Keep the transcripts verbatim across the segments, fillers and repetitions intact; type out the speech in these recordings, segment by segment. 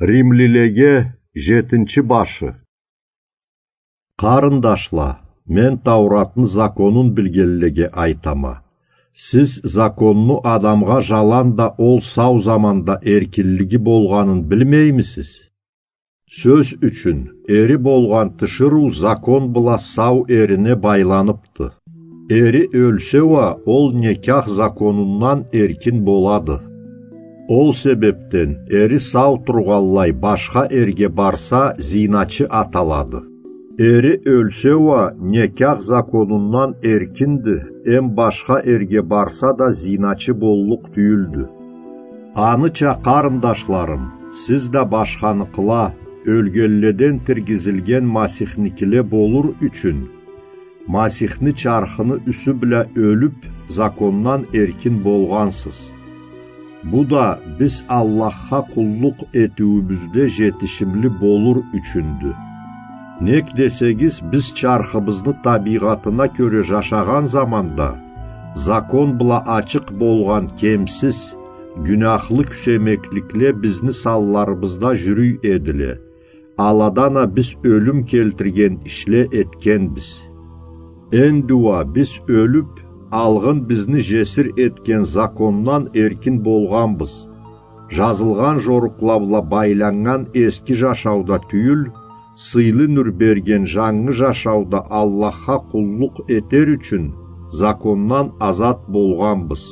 Римлилеге жетинчи башы. Къарындашла, мен Тауратны законун билгенлеге айтама. Сиз законну адамгъа жаланда ол сау заманда эркинлиги болгъанын билмеймисиз? Сёз ючюн, эри болгъан тиширыу закон бла сау эрине байланыпды. Эри ёлсе уа, ол некях законундан эркин болады. Ол себепден эри сау тургъанлай башха эрге барса, зиначы аталады. Эри ёлсе уа, некях законундан эркинди, эм башха эрге барса да, зиначы боллукъ тюйюлдю. Аныча, къарындашларым, сиз да башханыкъла, ёлгенледен тиргизилген Масихникиле болур ючюн, Масихни чархыны юсю бла ёлюп, закондан эркин болгъансыз. Бу да биз Аллахха къуллукъ этиуюбюзде жетишимли болур ючюндю. Нек десегиз, биз чархыбызны табийгъатына кёре жашагъан заманда, закон бла ачыкъ болгъан кемсиз, гюняхлы кюсемекликле бизни санларыбызда жюрюй эдиле. Аладан а биз ёлюм келтирген ишле этгенбиз. Энди уа биз ёлюп, алгъын бизни жесир этген закондан эркин болгъанбыз. Жазылгъан жорукъла бла байланнган эски жашауда тюйюл, сыйлы нюр берген жангы жашауда Аллахха къуллукъ этер ючюн закондан азат болгъанбыз.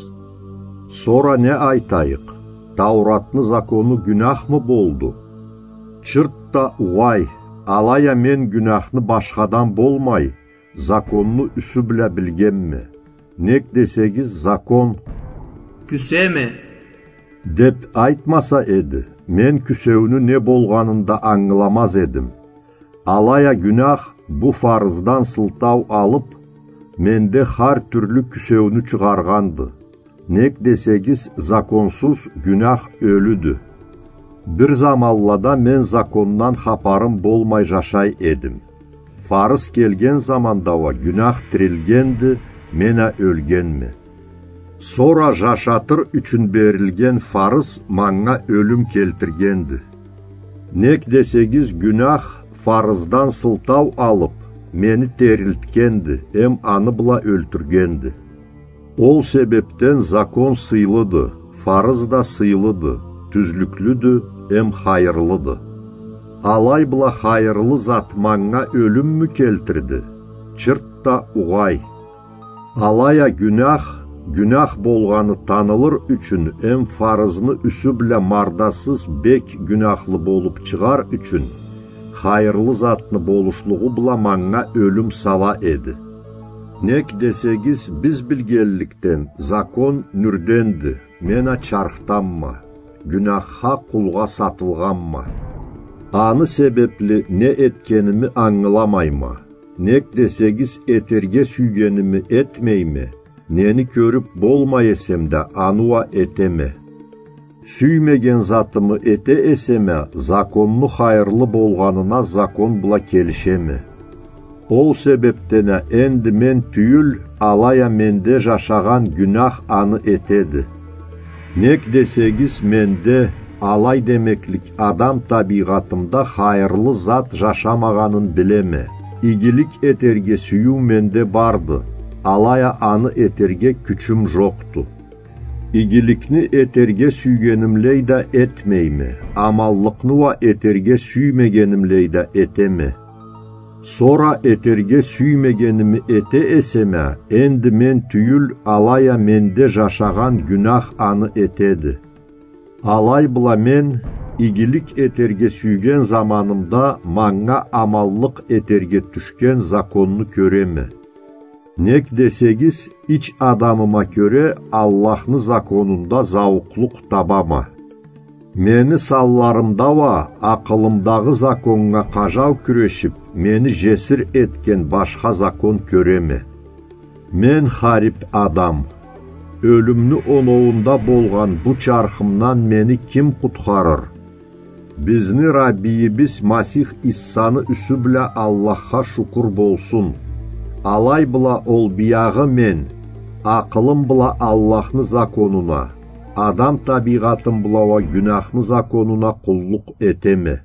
Сора не айтайыкъ? Тауратны закону гюняхмы болду? Чырт да угъай, алай а мен гюняхны башхадан болмай, законну юсю бла билгенме. Нек десегиз, закон кюсеме деп айтмаса эди, мен кюсеуню не болгъанын да ангыламаз эдим. Алай а гюнях бу фарыздан сылтау алып, менде хар тюрлю кюсеуню чыгъаргъанды. Нек десегиз, законсуз гюнях ёлюдю. Бир заманлада мен закондан хапарым болмай жашай эдим. Фарыз келген заманда уа гюнях тирилгенди, мен а ёлгенме. Сора жашатыр ючюн берилген фарыз манга ёлюм келтиргенди. Нек десегиз, гюнях фарыздан сылтау алып, мени терилтгенди, эм аны бла ёлтюргенди. Ол себепден закон сыйлыды, фарыз да сыйлыды, тюзлюклюдю, эм хайырлыды. Алай бла хайырлы зат манга ёлюммю келтирди? Чырт да угъай. Алай а гюнях, гюнях болгъаны танылыр ючюн, эм фарызны юсю бла мардасыз бек гюняхлы болуп чыгъар ючюн, хайырлы затны болушлугъу бла манга ёлюм сала эди. Нек десегиз, биз билгенликден, закон нюрденди, мен а чархданма, гюняхха, къулгъа сатылгъанма. Аны себепли не этгеними ангыламайма. Нек десегиз, этерге сюйгеними этмейме, нени кёрюп болмай эсем да, аны уа этеме. Сюймеген затымы эте эсем а, законну хайырлы болгъанына закон бла келишеме. Ол себепден а энди мен тюйюл, алай а менде жашагъан гюнях аны этеди. Нек десегиз, менде, алай демеклик, адам табийгъатымда хайырлы зат жашамагъанын билеме. Игилик этерге сюйюу менде барды, алай а аны этерге кючюм жокъду. Игиликни этерге сюйгенимлей да этмейме, аманлыкъны уа этерге сюймегенимлей да этеме. Сора этерге сюймегеними эте эсем а, энди мен тюйюл, алай а менде жашагъан гюнях аны этеди. Алай бла мен, игилик этерге сюйген заманымда, манга аманлыкъ этерге тюшген законну кёреме. Нек десегиз, ич адамыма кёре Аллахны законунда зауукълукъ табама. Мени санларымда уа акъылымдагъы законнга къажау кюрешип, мени жесир этген башха закон кёреме. Мен харип адам. Ёлюмню оноуунда болгъан бу чархымдан мени ким къутхарыр? Бизни Раббийибиз Масих Иссаны юсю бла Аллахха шукур болсун. Алай бла ол биягъы мен, акъылым бла Аллахны законуна, Адам табийгъатын бла уа гюнахны законуна къуллукъ этеме.